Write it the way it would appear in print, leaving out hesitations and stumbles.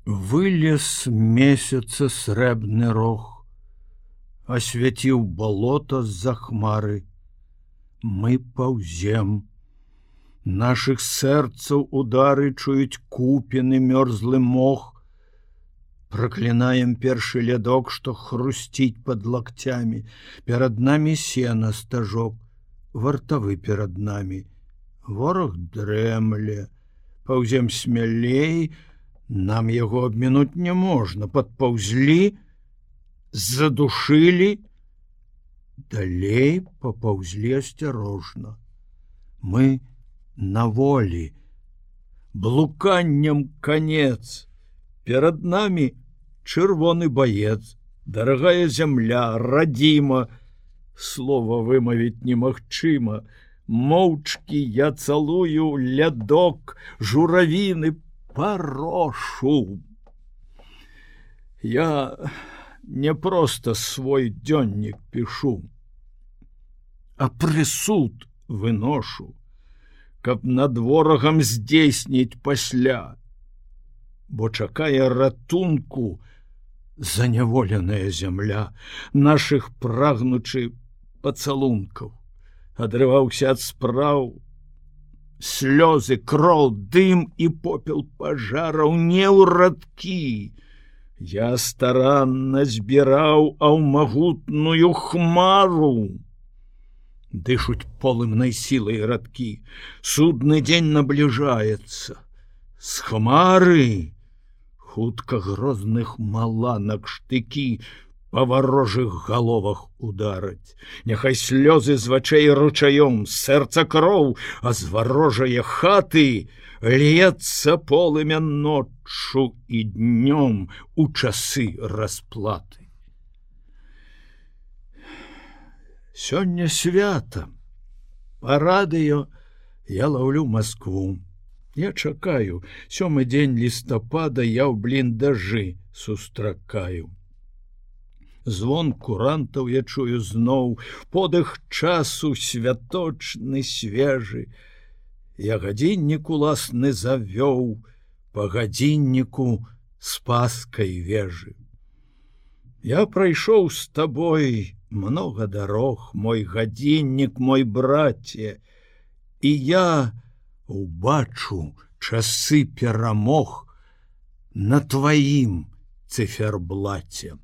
Вылез месяца срэбны рог, освяціў болото з-за хмары. Мы паўзем. Нашых сэрцаў удары чуюць купіны мёрзлы мох. Праклінаем першы лядок, што хрусціць пад лакцямі. Перад намі сена стажок, вартавы перад намі. Вораг дрэмле, паўзем смялей, нам яго абмінуць не можна. Падпаўзлі, задушылі, далей папаўзлі асцярожна. Мы на волі, блуканнем конец. Перад намі чырвоны баец, дарагая зямля, радзіма. Слова вымавіць немагчыма. Моўчкі я цалую лядок, журавіны парошу. Я не проста свой дзённік пішу, а прысуд выношу, каб над ворагам здзейсніць пасля, бо чакае ратунку заняволеная зямля, нашых прагнучы пацалункаў. Адрываўся ад спраў, слёзы, кроў, дым і попел пажараў не ў радкі. Я старанна збіраў, а ў магутную хмару дышуць полымнай сілай радкі. Судны дзень набліжаецца. З хмары хутка грозных маланак штыкі па варожых галовах удараць. Няхай слёзы з вачэй ручаём, з сэрца кроў, а з варожае хаты льецца полымя ноччу і днём у часы расплаты. Сёння свята. Па радыё я лаўлю Маскву. Я чакаю, 7 дзень лістапада я ў бліндажы сустракаю. Звон курантаў я чую зноў, подых часу святочны свежы. Я гадзіннік уласны завёў, па гадзінніку спаскай вежы. Я прайшоў з табой многа дарог, мой гадзіннік, мой браце, і я убачу часы перамог на тваім цыферблаце.